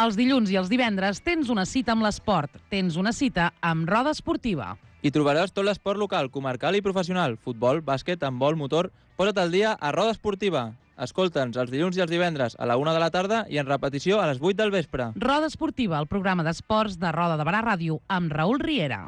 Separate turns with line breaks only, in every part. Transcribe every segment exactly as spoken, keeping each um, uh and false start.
Els dilluns i els divendres tens una cita amb l'esport. Tens una cita amb Roda Esportiva.
Hi trobaràs tot l'esport local, comarcal i professional. Futbol, bàsquet, handbol, motor... Posa't al dia a Roda Esportiva. Escolta'ns els dilluns i els divendres a la una de la tarda i en repetició a les vuit del vespre.
Roda Esportiva, el programa d'esports de Roda de Barà Ràdio, amb Raül Riera.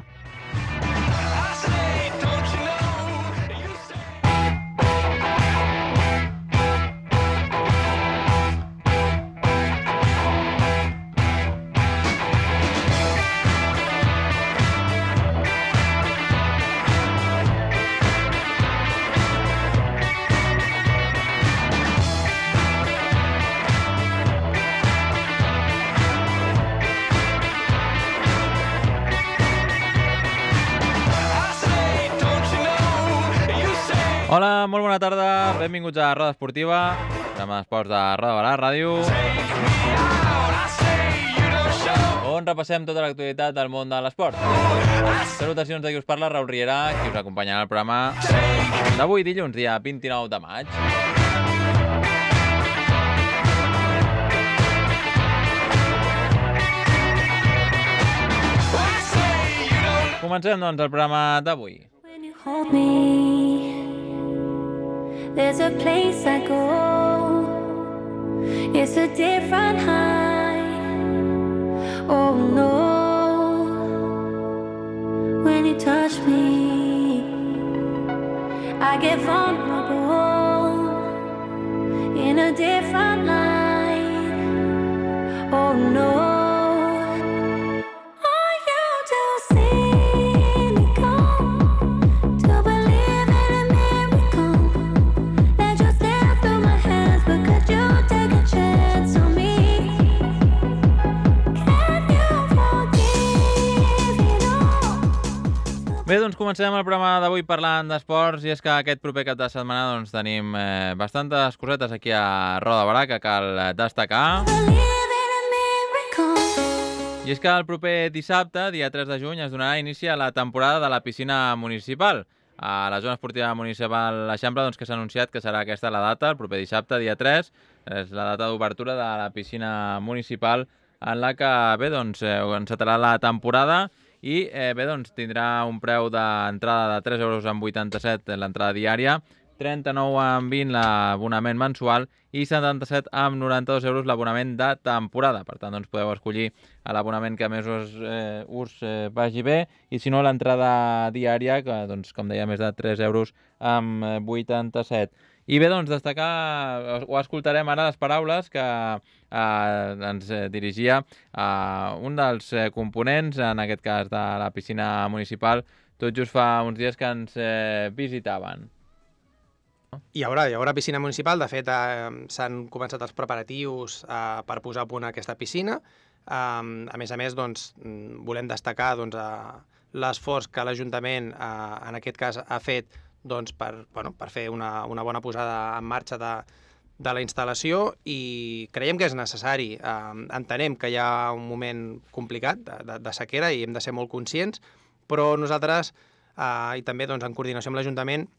Hola, molt bona tarda, benvinguts a Roda Esportiva, programa d'esports de Roda de Barà Ràdio, on repassem tota l'actualitat del món de l'esport. Salutacions de qui us parla, Raül Riera, qui us acompanyarà al programa d'avui, dilluns, dia vint-i-nou de maig. Comencem, doncs, el programa d'avui.
There's a place I go, it's a different high, oh no, when you touch me, I get vulnerable, in a different light, oh no.
Bé, doncs comencem el programa d'avui parlant d'esports i és que aquest proper cap de setmana doncs, tenim eh, bastantes cosetes aquí a Roda de Barà que cal destacar. I és que el proper dissabte, dia tres de juny, es donarà inici a la temporada de la piscina municipal. A la zona esportiva municipal l'Eixample, doncs, que s'ha anunciat que serà aquesta la data, el proper dissabte, dia tres, és la data d'obertura de la piscina municipal en la que, bé, doncs, eh, encetarà la temporada. I eh, bé, doncs, tindrà un preu d'entrada de tres euros amb vuitanta-set l'entrada diària, trenta-nou amb vint l'abonament mensual i setanta-set amb noranta-dos euros l'abonament de temporada. Per tant, doncs, podeu escollir l'abonament que més us, eh, us eh, vagi bé i si no l'entrada diària, que doncs, com deia, més de tres euros amb vuitanta-set. I bé, doncs, destacar, o escoltarem ara les paraules que eh, ens dirigia eh, un dels eh, components, en aquest cas de la piscina municipal, tot just fa uns dies que ens eh, visitaven.
Hi haurà, hi haurà piscina municipal, de fet eh, s'han començat els preparatius eh, per posar a punt aquesta piscina. Eh, a més a més, doncs, volem destacar doncs, eh, l'esforç que l'Ajuntament, eh, en aquest cas, ha fet doncs, per, bueno, per fer una, una bona posada en marxa de, de la instal·lació i creiem que és necessari. Eh, entenem que hi ha un moment complicat de, de, de sequera i hem de ser molt conscients, però nosaltres, eh, i també doncs, en coordinació amb l'Ajuntament,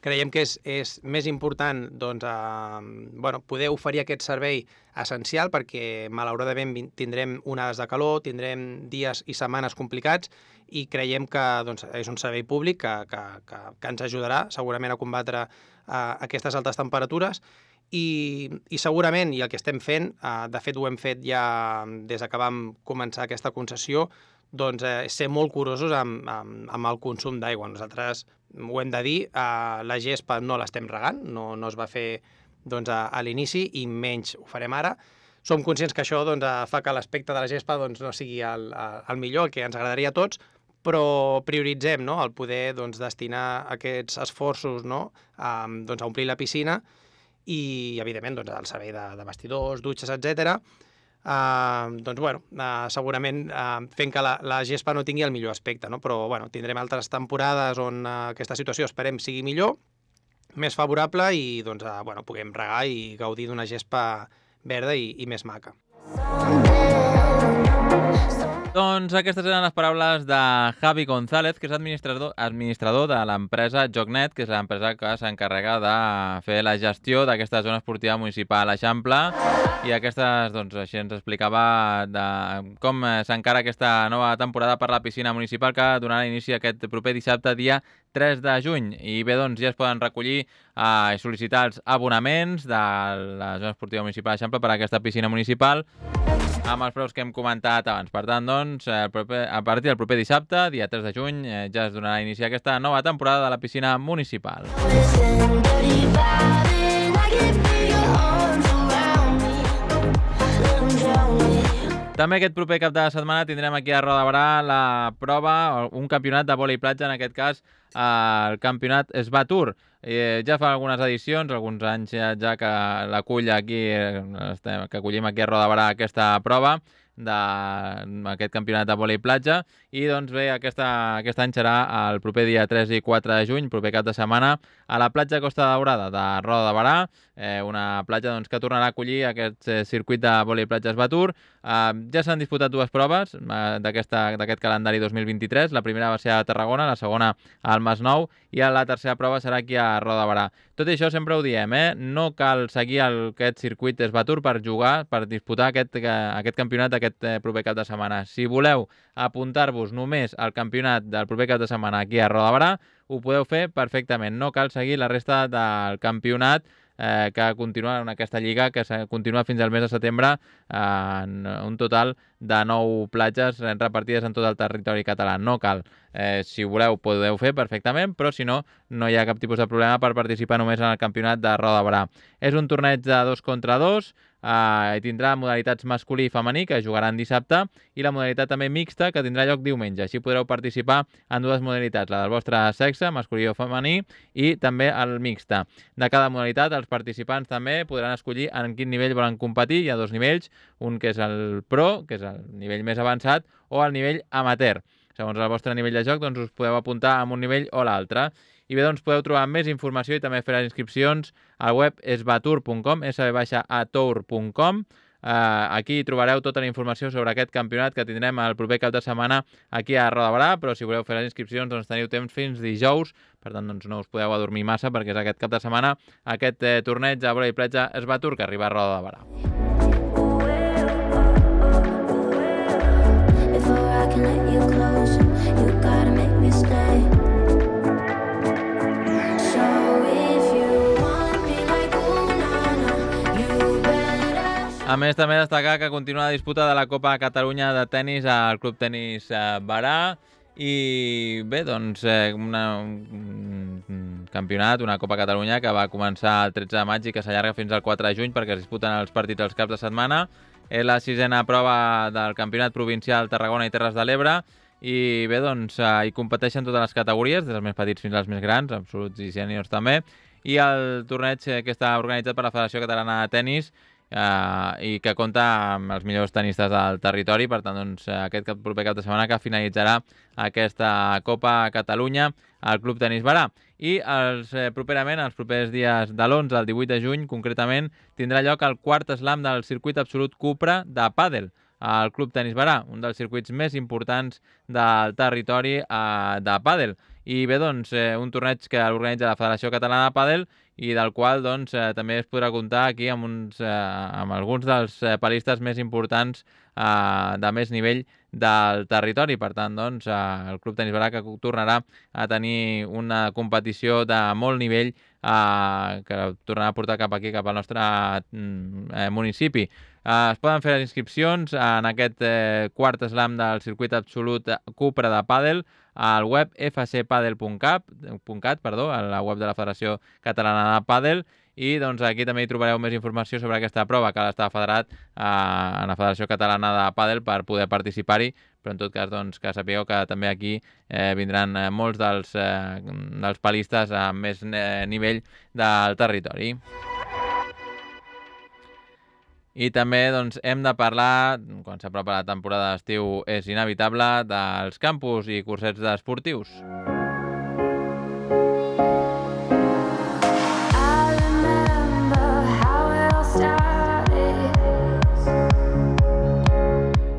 creiem que és, és més important doncs, eh, bueno, poder oferir aquest servei essencial perquè malauradament tindrem onades de calor, tindrem dies i setmanes complicats i creiem que doncs, és un servei públic que, que, que, que ens ajudarà segurament a combatre eh, aquestes altes temperatures i, i segurament, i el que estem fent, eh, de fet ho hem fet ja des que vam començar aquesta concessió, doncs eh, ser molt curosos amb, amb, amb el consum d'aigua. Nosaltres ho hem de dir, eh, la gespa no l'estem regant, no, no es va fer doncs, a, a l'inici i menys ho farem ara. Som conscients que això doncs, fa que l'aspecte de la gespa doncs, no sigui el, el millor, el que ens agradaria a tots, però prioritzem no? el poder doncs, destinar aquests esforços no? a, doncs, a omplir la piscina i, evidentment, doncs, el servei de, de vestidors, dutxes, etcètera. Uh, doncs, bueno, uh, segurament uh, fent que la, la gespa no tingui el millor aspecte, no? Però bueno, tindrem altres temporades on uh, aquesta situació esperem sigui millor, més favorable i doncs, uh, bueno, puguem regar i gaudir d'una gespa verda i, i més maca.
Doncs aquestes eren les paraules de Javi González, que és administrador, administrador de l'empresa JoCnet, que és l'empresa que s'encarrega de fer la gestió d'aquesta zona esportiva municipal Eixample. I aquestes, doncs, així ens explicava de com s'encara aquesta nova temporada per la piscina municipal que donarà inici aquest proper dissabte, dia tres de juny. I bé, doncs ja es poden recollir eh, i sol·licitar els abonaments de la zona esportiva municipal Eixample per a aquesta piscina municipal amb els preus que hem comentat abans. Per tant, doncs, el proper, a partir del proper dissabte, dia tres de juny, eh, ja es donarà inici a aquesta nova temporada de la piscina municipal. També aquest proper cap de setmana tindrem aquí a Roda de Berà la prova, un campionat de vòlei platja, en aquest cas el campionat Sva Tour. Eh, ja fa algunes edicions, alguns anys ja, ja que l'acull aquí, que acollim aquí a Roda de Berà aquesta prova d'aquest campionat de vòlei platja, i doncs bé, aquesta, aquest any serà el proper dia tres i quatre de juny, proper cap de setmana, a la platja Costa Daurada de Roda de Berà, eh, una platja doncs, que tornarà a acollir aquest eh, circuit de vòlei platja Sva Tour. Eh, ja s'han disputat dues proves eh, d'aquest calendari dos mil vint-i-tres, la primera va ser a Tarragona, la segona al Masnou, i la tercera prova serà aquí a Roda de Berà. Tot i això sempre ho diem, eh? No cal seguir el, aquest circuit Sva Tour per jugar, per disputar aquest, aquest campionat aquest eh, proper cap de setmana. Si voleu apuntar-vos només al campionat del proper cap de setmana aquí a Roda de Berà, ho podeu fer perfectament. No cal seguir la resta del campionat eh, que continua en aquesta lliga, que continua fins al mes de setembre, eh, en un total de nou platges repartides en tot el territori català. No cal. Eh, si voleu, podeu fer perfectament, però si no, no hi ha cap tipus de problema per participar només en el campionat de Roda de Berà. És un torneig de dos contra dos, eh, i tindrà modalitats masculí i femení, que jugaran dissabte, i la modalitat també mixta, que tindrà lloc diumenge. Així podreu participar en dues modalitats, la del vostre sexe, masculí o femení, i també el mixta. De cada modalitat, els participants també podran escollir en quin nivell volen competir. Hi ha dos nivells, un que és el pro, que és el nivell més avançat, o el nivell amateur. Segons el vostre nivell de joc, doncs us podeu apuntar a un nivell o l'altre. I bé, doncs podeu trobar més informació i també fer les inscripcions al web svatur punt com, s v a tour punt com. Uh, aquí trobareu tota la informació sobre aquest campionat que tindrem el proper cap de setmana aquí a Roda de Berà, però si voleu fer les inscripcions doncs teniu temps fins dijous, per tant doncs no us podeu adormir massa perquè és aquest cap de setmana aquest eh, torneig de vòlei platja Sva Tour que arriba a Roda de Berà. A més, també destacar que continua la disputa de la Copa Catalunya de tenis al Club Tenis Berà i bé, doncs eh, una, un campionat, una Copa Catalunya que va començar el tretze de maig i que s'allarga fins al quatre de juny perquè es disputen els partits els caps de setmana. És la sisena prova del Campionat Provincial Tarragona i Terres de l'Ebre i bé, doncs eh, hi competeixen totes les categories, des dels més petits fins als més grans, absoluts i sèniors també, i el torneig eh, que està organitzat per la Federació Catalana de Tenis Uh, i que compta amb els millors tenistes del territori. Per tant, doncs, aquest cap, proper cap de setmana que finalitzarà aquesta Copa Catalunya al Club Tenis Berà. I els, eh, properament, els propers dies de l'onze al divuit de juny, concretament, tindrà lloc el quart slam del circuit absolut Cupra de pàdel al Club Tenis Berà, un dels circuits més importants del territori eh, de pàdel. I bé, doncs, eh, un torneig que organitza la Federació Catalana de Pàdel i del qual doncs, eh, també es podrà comptar aquí amb, uns, eh, amb alguns dels eh, palistes més importants eh, de més nivell del territori. Per tant, doncs, eh, el Club Tenis Berà que tornarà a tenir una competició de molt nivell eh, que tornarà a portar cap aquí, cap al nostre eh, municipi. Eh, es poden fer les inscripcions en aquest eh, quart slam del circuit absolut Cupra de pàdel al web f c padel punt cat, perdó, a la web de la Federació Catalana de Pàdel, i doncs aquí també hi trobareu més informació sobre aquesta prova que està federat eh, a la Federació Catalana de Pàdel per poder participar-hi, però en tot cas doncs, que sapigueu que també aquí eh, vindran eh, molts dels, eh, dels palistes amb més eh, nivell del territori. I també doncs, hem de parlar, quan s'apropa la temporada d'estiu és inevitable, dels campus i cursets esportius.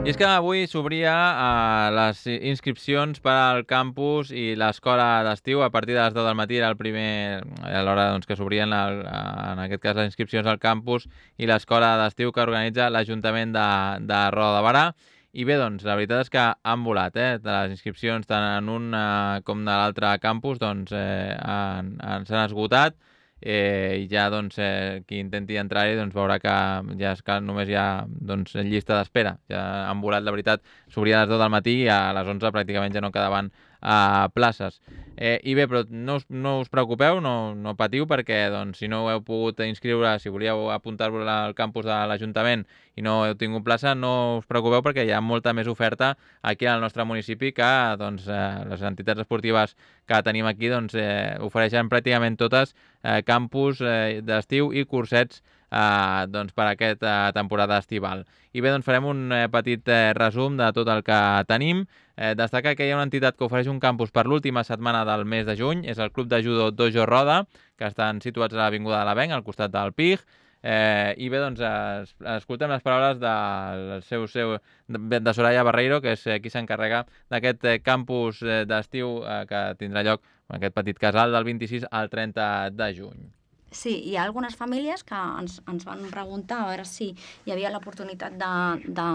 I I és que avui s'obria uh, les inscripcions per al campus i l'escola d'estiu. A partir de les deu del matí era el primer, a l'hora doncs, que s'obrien el, en aquest cas les inscripcions al campus i l'escola d'estiu que organitza l'Ajuntament de, de Roda de Berà. I bé, doncs, la veritat és que han volat, eh? Les inscripcions tant en un eh, com de l'altre campus doncs, eh, han, han, s'han esgotat eh, i ja doncs, eh, qui intenti entrar-hi doncs, veurà que ja és que només hi ha doncs, llista d'espera. Ja han volat, la veritat, s'obria a les deu del matí i a les onze pràcticament ja no quedaven a places. Eh, I bé, però no us, no us preocupeu, no, no patiu, perquè doncs, si no heu pogut inscriure, si volíeu apuntar-vos al campus de l'Ajuntament i no heu tingut plaça, no us preocupeu perquè hi ha molta més oferta aquí al nostre municipi que doncs, eh, les entitats esportives que tenim aquí doncs, eh, ofereixen pràcticament totes eh, campus eh, d'estiu i cursets eh, doncs, per a aquesta temporada estival. I bé, doncs farem un eh, petit eh, resum de tot el que tenim. Eh, destaca que hi ha una entitat que ofereix un campus per l'última setmana del mes de juny, és el Club de Judo Dojo Roda, que estan situats a l'Avinguda de l'Avenc, al costat del P I G. Eh, I bé, doncs, es, escoltem les paraules de, seu, seu, de, de Soraya Barreiro, que és eh, qui s'encarrega d'aquest eh, campus eh, d'estiu eh, que tindrà lloc en aquest petit casal del vint-i-sis al trenta de juny.
Sí, hi ha algunes famílies que ens, ens van preguntar a veure si hi havia l'oportunitat de, de,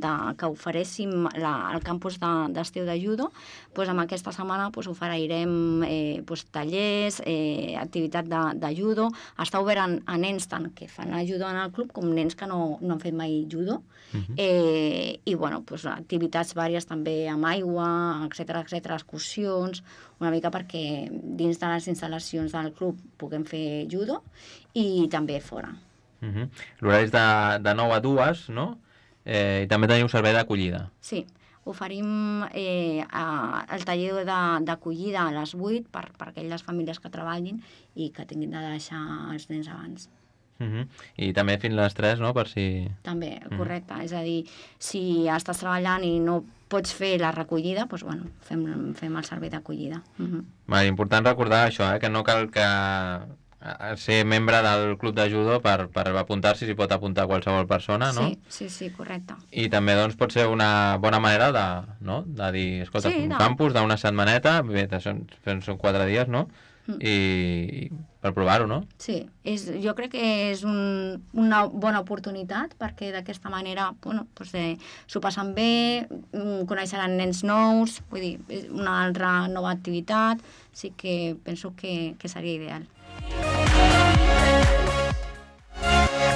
de que oferéssim la, el campus d'estiu de, de judo. Pues amb aquesta setmana pues, oferirem eh, pues, tallers, eh, activitat de, de judo. Està obert a, a nens tant que fan el judo en el club com nens que no, no han fet mai judo. Uh-huh. eh, I bueno, pues, activitats vàries també amb aigua, etcètera, etcètera, excursions, una mica perquè dins de les instal·lacions del club puguem fer judo i també fora.
Uh-huh. L'horari és de, de nou a dues, no? Eh, I també teniu servei d'acollida.
Sí, oferim eh, a, el taller d'acollida a les vuit per, per aquelles famílies que treballin i que tinguin de deixar els nens abans.
Uh-huh. I també fins a les tres, no? Per si...
També, correcte. Uh-huh. És a dir, si estàs treballant i no pots fer la recollida, doncs, bueno, fem, fem el servei d'acollida. Uh-huh.
Vale, important recordar això, eh? Que no cal que ser membre del club de judo per, per apuntar-s'hi, s'hi pot apuntar qualsevol persona, no?
Sí, sí, sí, correcte.
I també doncs, pot ser una bona manera de, no? de dir, escolta, sí, un no. campus d'una setmaneta, bé, són, són quatre dies, no? Mm. I, i per provar-ho, no?
Sí, és, jo crec que és un, una bona oportunitat perquè d'aquesta manera bueno, doncs, eh, s'ho passen bé, coneixeran nens nous, vull dir, és una altra nova activitat, sí que penso que, que seria ideal.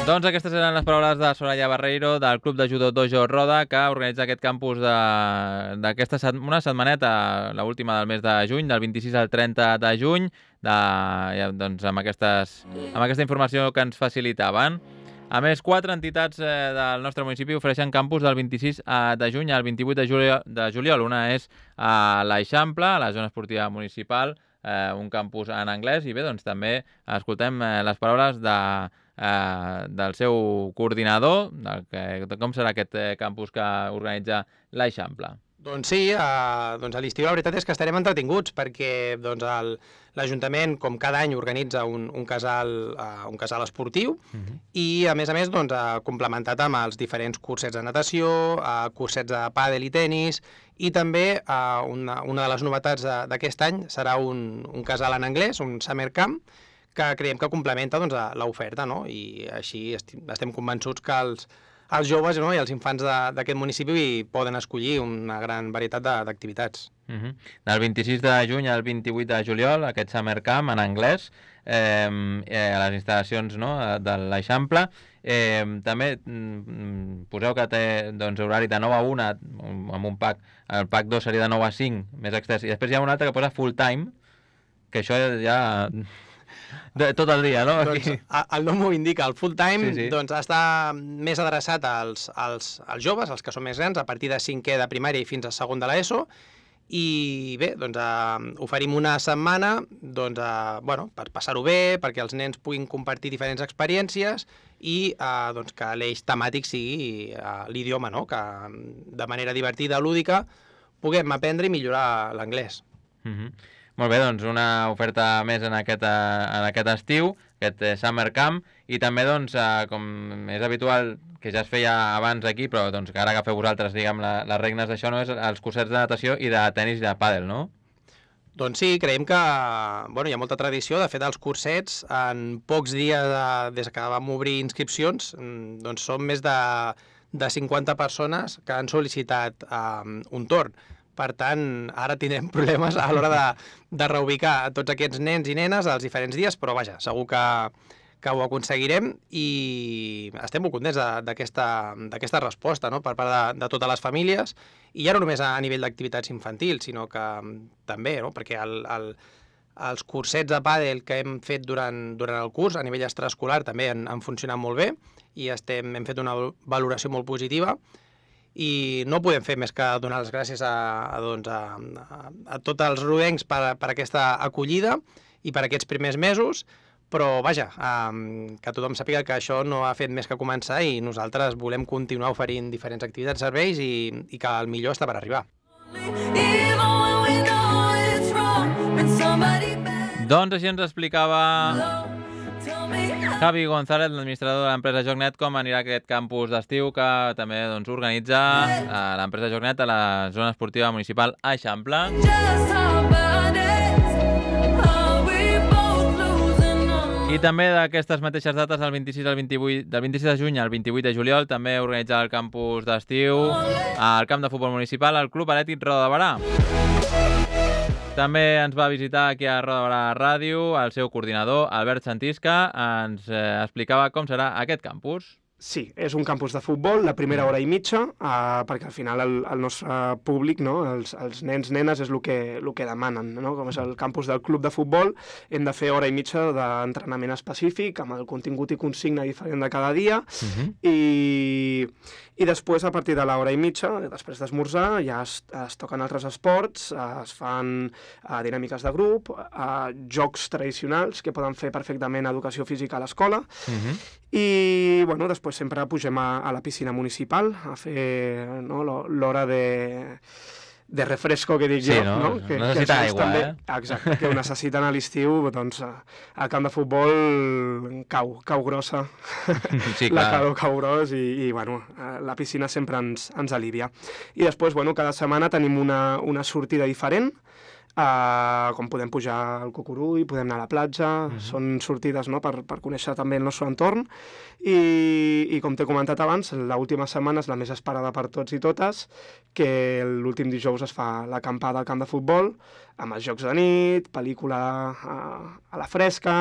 Doncs aquestes eren les paraules de Soraya Barreiro del Club de Judo Dojo Roda, que organitza aquest campus d'aquesta set, una setmaneta, l'última del mes de juny, del vint-i-sis al trenta de juny, de, ja, doncs, amb, aquestes, amb aquesta informació que ens facilitaven. A més, quatre entitats eh, del nostre municipi ofereixen campus del vint-i-sis de juny al vint-i-vuit de juliol. De juliol. Una és a l'Eixample, a la zona esportiva municipal, eh, un campus en anglès, i bé, doncs també escoltem eh, les paraules de Eh, del seu coordinador, del que, de com serà aquest eh, campus que organitza l'Eixample.
Doncs sí, eh, doncs a l'estiu la veritat és que estarem entretinguts perquè doncs, l'Ajuntament, com cada any, organitza un, un, casal, uh, un casal esportiu uh-huh. i, a més a més, doncs, uh, complementat amb els diferents cursets de natació, uh, cursets de pàdel i tenis, i també uh, una, una de les novetats d'aquest any serà un, un casal en anglès, un summer camp, que creiem que complementa doncs, l'oferta, no? I així estem convençuts que els, els joves, no? I els infants d'aquest municipi poden escollir una gran varietat d'activitats.
Uh-huh. Del vint-i-sis de juny al vint-i-vuit de juliol, aquest Summer Camp en anglès, eh, eh, a les instal·lacions, no? de l'Eixample. Eh, també mm, poseu que té doncs, horari de nou a una amb un pack, el pack dos seria de nou a cinc, més extens, i després hi ha un altre que posa full time, que això ja... De, tot el dia, no?
Doncs, el nom ho indica, el full time sí, sí. Doncs, està més adreçat als, als, als joves, als que són més grans, a partir de cinquè de primària i fins a segon de l'ESO, i bé, doncs, eh, oferim una setmana doncs, eh, bueno, per passar-ho bé, perquè els nens puguin compartir diferents experiències i eh, doncs, que l'eix temàtic sigui eh, l'idioma, no? Que de manera divertida, lúdica, puguem aprendre i millorar l'anglès.
Mhm. Molt bé, doncs una oferta més en aquest, en aquest estiu, aquest Summer Camp, i també, doncs, com és habitual que ja es feia abans aquí, però doncs, que ara agafeu vosaltres, diguem, la, les regnes d'això, no? És els cursets de natació i de tennis i de pàdel, no?
Doncs sí, creiem que bueno, hi ha molta tradició. De fet, els cursets, en pocs dies de, des que vam obrir inscripcions, doncs són més de, de cinquanta persones que han sol·licitat um, un torn. Per tant, ara tindrem problemes a l'hora de, de reubicar tots aquests nens i nenes als diferents dies, però vaja, segur que, que ho aconseguirem i estem molt contents d'aquesta resposta, no?, per part de, de totes les famílies, i ja no només a nivell d'activitats infantils, sinó que també, no?, perquè el, el, els cursets de pàdel que hem fet durant, durant el curs a nivell extraescolar també han, han funcionat molt bé i estem, hem fet una valoració molt positiva, i no podem fer més que donar les gràcies a, a, doncs, a, a, a tots els rodencs per, per aquesta acollida i per aquests primers mesos, però vaja, um, que tothom sàpiga que això no ha fet més que començar i nosaltres volem continuar oferint diferents activitats i serveis i, i que el millor està per arribar.
Doncs així ens explicava Javi González, l'administrador de l'empresa JoCnet, com anirà aquest campus d'estiu que també doncs, organitza eh, l'empresa JoCnet a la zona esportiva municipal Eixample. I també d'aquestes mateixes dates, del vint-i-sis al vint-i-vuit, del vint-i-sis de juny al vint-i-vuit de juliol, també organitza el campus d'estiu al camp de futbol municipal, el Club Atlètic Roda de Berà. També ens va visitar aquí a Roda de Berà Ràdio el seu coordinador, Albert Santisca, ens eh, explicava com serà aquest campus.
Sí, és un campus de futbol, la primera hora i mitja, eh, perquè al final el, el nostre públic, no, els, els nens, nenes, és el que, el que demanen, no? Com és el campus del club de futbol, hem de fer hora i mitja d'entrenament específic, amb el contingut i consigna diferent de cada dia, uh-huh. i, i després, a partir de l'hora i mitja, després d'esmorzar, ja es, es toquen altres esports, es fan uh, dinàmiques de grup, uh, jocs tradicionals, que poden fer perfectament educació física a l'escola, uh-huh. i, bueno, després sempre pugem a, a la piscina municipal a fer, no, l'hora de, de refresco, que dic
sí,
jo.
No?
No? Que,
necessita
que
aigua,
també,
eh?
Exacte, que ho necessiten a l'estiu, doncs al camp de futbol cau, cau grossa,
sí,
la calor cau gros i, i bueno, la piscina sempre ens, ens alivia. I després, bueno, cada setmana tenim una, una sortida diferent, Uh, com podem pujar al Cucurull, podem anar a la platja, uh-huh. són sortides, no?, per, per conèixer també el nostre entorn i, i com t'he comentat abans, l'última setmana és la més esperada per tots i totes, que l'últim dijous es fa l'acampada al camp de futbol amb els jocs de nit, pel·lícula a, a la fresca,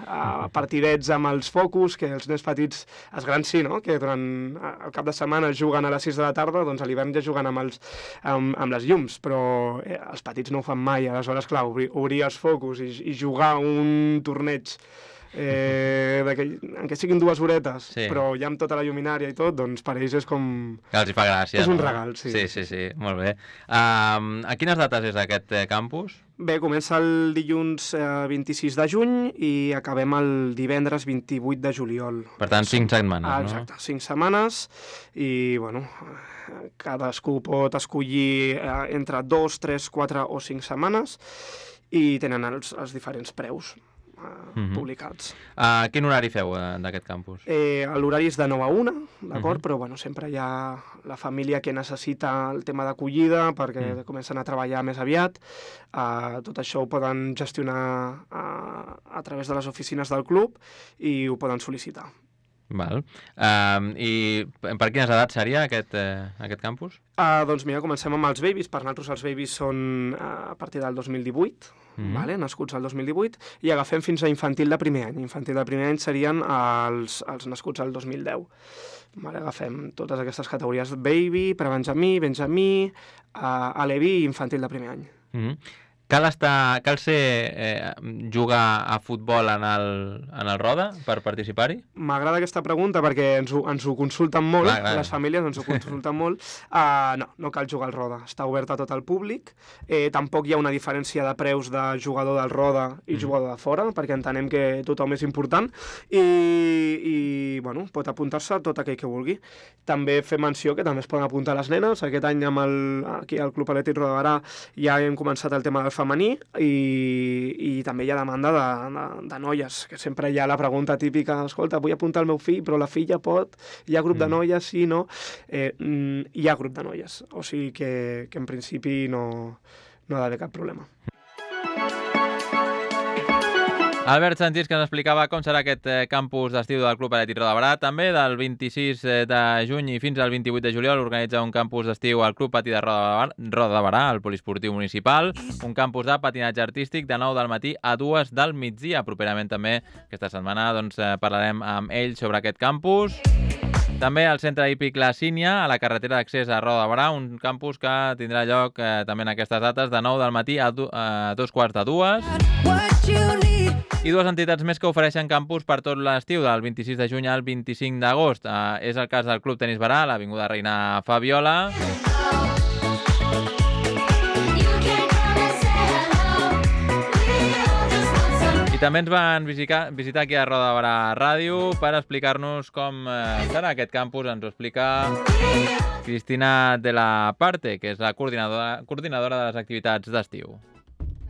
a partidets amb els focus, que els nens petits, els grans sí, no?, que durant el cap de setmana juguen a les sis de la tarda, doncs a l'hivern ja juguen amb, els, amb, amb les llums, però eh, els petits no ho fan mai. Aleshores, clar, obrir, obrir els focus i, i jugar un torneig eh, en què siguin dues horetes, sí. però ja amb tota la lluminària i tot, doncs per ells és com...
Que els hi fa gràcia,
és
no?
un regal, sí.
Sí, sí, sí, molt bé. Um, a quines dates és aquest eh, campus?
Bé, comença el dilluns eh, vint-i-sis de juny i acabem el divendres vint-i-vuit de juliol.
Per tant, cinc setmanes,
ah,
no?
Exacte, cinc setmanes i, bueno, cadascú pot escollir eh, entre dos, tres, quatre o cinc setmanes i tenen els, els diferents preus. Uh, publicats.
Uh, quin horari feu uh, d'aquest campus?
Eh, L'horari és de nou a una, d'acord?
Uh-huh.
Però bueno, sempre hi ha la família que necessita el tema d'acollida perquè uh-huh. comencen a treballar més aviat. Uh, tot això ho poden gestionar uh, a través de les oficines del club i ho poden sol·licitar.
Val. Um, I per quines edats seria aquest, eh, aquest campus?
Uh, doncs mira, comencem amb els babies. Per nosaltres els babies són uh, a partir del dos mil divuit, mm-hmm. vale? Nascuts al dos mil divuit, i agafem fins a infantil de primer any. Infantil de primer any serien els, els nascuts al dos mil deu. Vale? Agafem totes aquestes categories: baby, prebenjamí, benjamí, uh, aleví i infantil de primer any.
Mm-hmm. Cal, estar, cal ser eh, jugar a futbol en el, en el Roda per participar-hi?
M'agrada aquesta pregunta perquè ens ho, ens ho consulten molt, clar, clar. Les famílies ens ho consulten molt. Uh, no, no cal jugar al Roda, està obert a tot el públic. Eh, tampoc hi ha una diferència de preus de jugador del Roda i mm. jugador de fora, perquè entenem que tothom és important i, i bueno, pot apuntar-se tot aquell que vulgui. També fem menció que també es poden apuntar les nenes. Aquest any amb el, aquí al Club Atlètic Roda de Berà ja hem començat el tema del femení i, i també hi ha demanda de, de, de noies, que sempre hi ha la pregunta típica, escolta, vull apuntar el meu fill, però la filla pot, hi ha grup de noies, sí, no? Eh, hi ha grup de noies, o sigui que, que en principi no, no ha d'haver cap problema.
Albert Sanchís, que ens explicava com serà aquest campus d'estiu del Club Atlètic Roda de Barà. També del vint-i-sis de juny i fins al vint-i-vuit de juliol organitza un campus d'estiu al Club Patí de Roda de Barà, al Poliesportiu Municipal. Un campus de patinatge artístic de nou del matí a dues del migdia. Properament també, aquesta setmana, doncs, parlarem amb ell sobre aquest campus. També al centre hípic La Sínia, a la carretera d'accés a Roda de Barà, un campus que tindrà lloc eh, també en aquestes dates de nou del matí a, du a dos quarts de dues. I dues entitats més que ofereixen campus per tot l'estiu, del vint-i-sis de juny al vint-i-cinc d'agost. Eh, és el cas del Club Tenis Barà, a l'Avinguda Reina Fabiola. I també ens van visitar, visitar aquí a Roda de Barà Ràdio per explicar-nos com eh, serà aquest campus. Ens ho explica Cristina de la Parte, que és la coordinadora, coordinadora de les activitats d'estiu.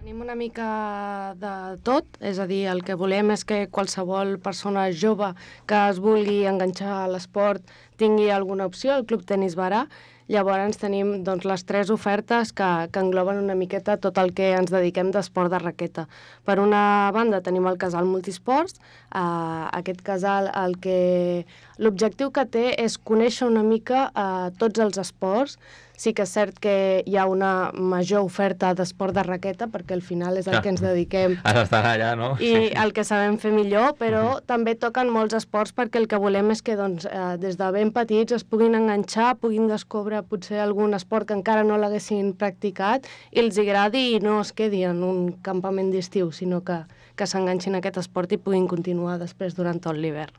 Tenim una mica de tot, és a dir, el que volem és que qualsevol persona jove que es vulgui enganxar a l'esport tingui alguna opció al Club Tenis Barà. Llavors tenim doncs, les tres ofertes que, que engloben una miqueta tot el que ens dediquem d'esport de raqueta. Per una banda tenim el casal multisports. Uh, aquest casal el que l'objectiu que té és conèixer una mica uh, tots els esports. Sí que és cert que hi ha una major oferta d'esport de raqueta, perquè al final és el que ens dediquem.
Has d'estar allà, no?
I sí. El que sabem fer millor, però uh-huh. també toquen molts esports, perquè el que volem és que doncs, eh, des de ben petits es puguin enganxar, puguin descobrir potser algun esport que encara no l'haguessin practicat i els agradi i no es quedi en un campament d'estiu, sinó que, que s'enganxin a aquest esport i puguin continuar després durant tot l'hivern.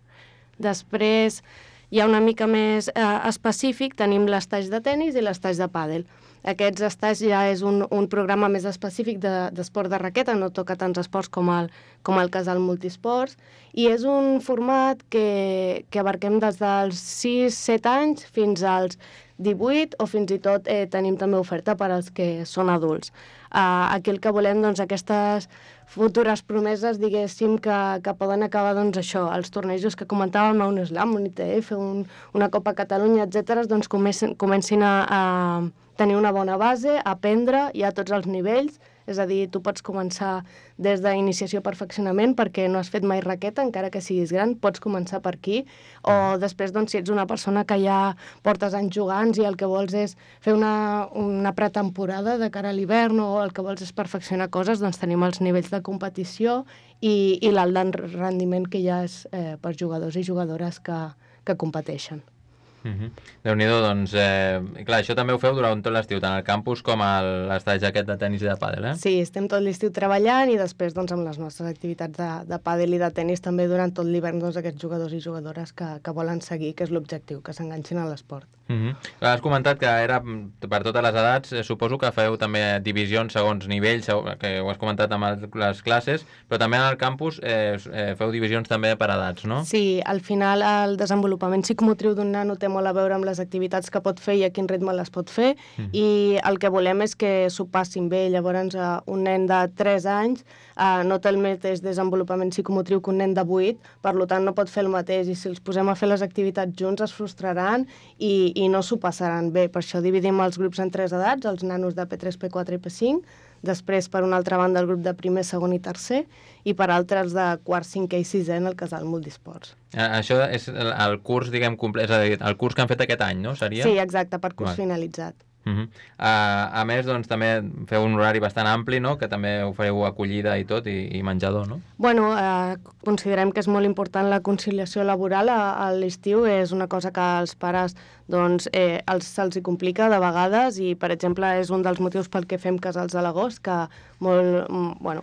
Després hi ha una mica més eh, específic, tenim l'estage de tennis i l'estage de pàdel. Aquests estages ja és un, un programa més específic d'esport de, de raqueta, no toca tants esports com el, com el casal multisports, i és un format que, que abarquem des dels sis set anys fins als divuit, o fins i tot eh, tenim també oferta per als que són adults. Uh, aquí el que volem, doncs, aquestes futures promeses, diguéssim, que, que poden acabar, doncs, això, els tornejos que comentàvem, un slam, un I T F, un, una Copa Catalunya, etcètera, doncs comencin, comencin a, a tenir una bona base, a aprendre, hi ha tots els nivells, és a dir, tu pots començar des d'iniciació perfeccionament perquè no has fet mai raqueta, encara que siguis gran, pots començar per aquí, o després, doncs, si ets una persona que ja portes anys jugant i el que vols és fer una, una pretemporada de cara a l'hivern o el que vols és perfeccionar coses, doncs tenim els nivells de competició i, i l'alt rendiment que hi ha és, eh, per jugadors i jugadores que, que competeixen.
Uh-huh. Déu-n'hi-do, doncs, eh, clar, això també ho feu durant tot l'estiu, tant al campus com a l'estage aquest de tenis i de pàdel, eh?
Sí, estem tot l'estiu treballant i després, doncs, amb les nostres activitats de, de pàdel i de tenis també durant tot l'hivern, doncs, aquests jugadors i jugadores que, que volen seguir, que és l'objectiu, que s'enganxin a l'esport.
Uh-huh. Has comentat que era per totes les edats, eh, suposo que feu també divisions segons nivells, que ho has comentat amb les classes, però també en el campus eh, eh, feu divisions també per edats, no?
Sí, al final el desenvolupament psicomotriu d'un nano té molt a veure amb les activitats que pot fer i a quin ritme les pot fer, mm. i el que volem és que s'ho passin bé. Llavors, uh, un nen de tres anys uh, no té el mateix desenvolupament psicomotriu que un nen de vuit, per tant no pot fer el mateix, i si els posem a fer les activitats junts es frustraran i, i no s'ho passaran bé. Per això dividim els grups en tres edats, els nanos de P tres, P quatre i P cinc, després, per una altra banda, el grup de primer, segon i tercer, i per altres de quart, cinquè i sisè en el casal multisports.
Això és el, el curs, diguem, complet, és a dir, el curs que han fet aquest any, no? Seria?
Sí, exacte, per curs vale. Finalitzat.
Uh-huh. uh, a més, doncs, també feu un horari bastant ampli, no? Que també ofereu acollida i tot, i, i menjador, no?
Bueno, uh, considerem que és molt important la conciliació laboral a, a l'estiu, és una cosa que als pares doncs, eh, els, se'ls hi complica de vegades, i, per exemple, és un dels motius pel que fem casals a l'agost, que molt, bueno,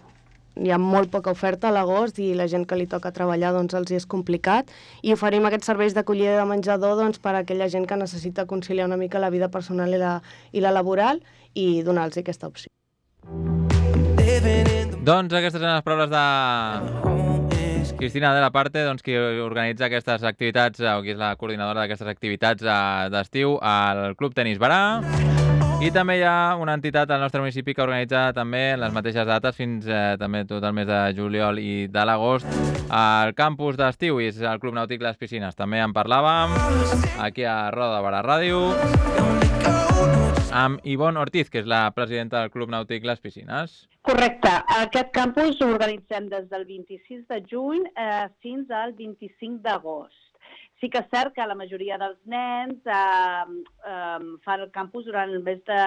hi ha molt poca oferta a l'agost i la gent que li toca treballar doncs, els hi és complicat, i oferim aquests serveis d'acollida de menjador doncs, per a aquella gent que necessita conciliar una mica la vida personal i la, i la laboral, i donar-los aquesta opció.
Doncs aquestes són les paraules de Cristina de la Parte, doncs, qui organitza aquestes activitats, o qui és la coordinadora d'aquestes activitats d'estiu al Club Tenis Barà. I també hi ha una entitat al nostre municipi que organitza també les mateixes dates fins eh, també tot el mes de juliol i de l'agost al campus d'estiu, i és el Club Nàutic Les Piscines. També en parlàvem aquí a Roda de Barà Ràdio amb Ivonne Ortiz, que és la presidenta del Club Nàutic Les Piscines.
Correcte. Aquest campus l'organitzem des del vint-i-sis de juny eh, fins al vint-i-cinc d'agost. Sí que és cert que la majoria dels nens eh, eh, fan el campus durant el mes de,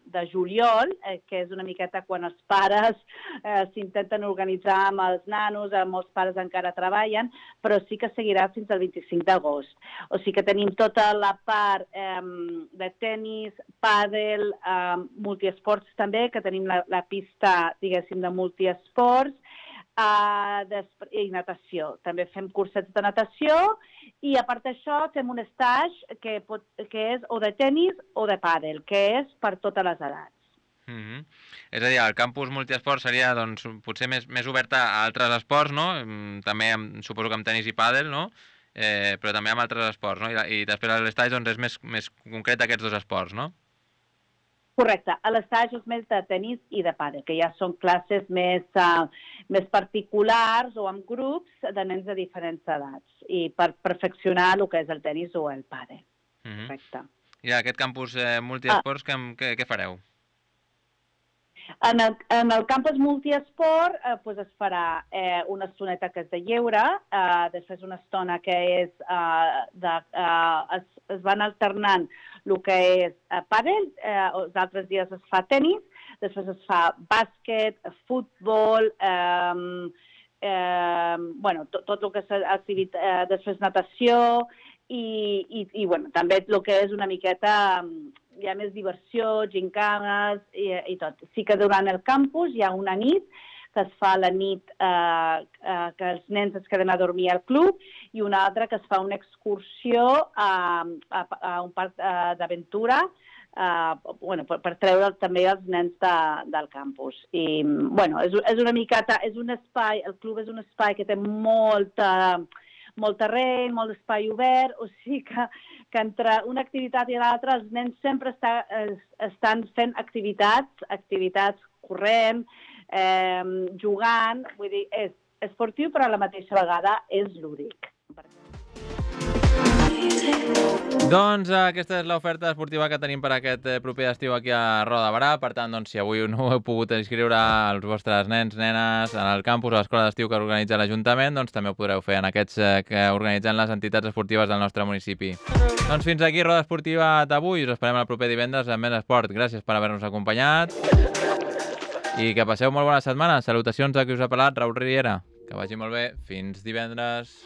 de juliol, eh, que és una miqueta quan els pares eh, s'intenten organitzar amb els nanos, eh, molts pares encara treballen, però sí que seguirà fins al vint-i-cinc d'agost. O sigui que tenim tota la part eh, de tennis, pàdel, eh, multiesports també, que tenim la, la pista, diguéssim, de multiesports, Uh, i natació. També fem cursets de natació i a part d'això fem un stage que, pot, que és o de tennis o de pàdel, que és per totes les edats.
Mm-hmm. És a dir, el campus multiesport seria doncs, potser més, més obert a altres esports, no? També amb, suposo que amb tennis i pàdel, no? Eh, però també amb altres esports, no? I, i després l'estage doncs, és més, més concret aquests dos esports, no?
Correcte. A l'estage és més de tennis i de pàdel, que ja són classes més, uh, més particulars o amb grups de nens de diferents edats i per perfeccionar el que és el tennis o el pàdel.
Mm-hmm.
Correcte.
I aquest campus eh, multiesports, ah. què, què, què fareu?
En el, en el campus multiesport eh, pues es farà eh, una estoneta que és de lleure, eh, després una estona que és eh, de, eh, es, es van alternant el que és eh, pàdel, eh, els altres dies es fa tennis, després es fa bàsquet, futbol, eh, eh, bueno, tot, tot el que és activitat, eh, després natació i, i, i bueno, també el que és una miqueta hi ha més diversió, gincanes i, i tot. Sí que durant el campus hi ha una nit que es fa la nit eh, eh, que els nens es queden a dormir al club i una altra que es fa una excursió a, a, a un parc eh, d'aventura eh, bueno, per, per treure també els nens de, del campus. I, bueno, és, és una miqueta, és un espai, el club és un espai que té molta... molt terreny, molt espai obert, o sigui que, que entre una activitat i l'altra els nens sempre està, es, estan fent activitats, activitats corrent, eh, jugant, vull dir, és esportiu però a la mateixa vegada és lúdic.
Doncs aquesta és l'oferta esportiva que tenim per aquest proper estiu aquí a Roda de Barà. Per tant, doncs, si avui no heu pogut inscriure els vostres nens, nenes en el campus o a l'escola d'estiu que organitza l'Ajuntament, doncs també ho podreu fer en aquests que organitzen les entitats esportives del nostre municipi. Doncs fins aquí Roda Esportiva d'avui. Us esperem el proper divendres amb més esport. Gràcies per haver-nos acompanyat i que passeu molt bona setmana. Salutacions a qui us ha parlat, Raül Riera. Que vagi molt bé. Fins divendres.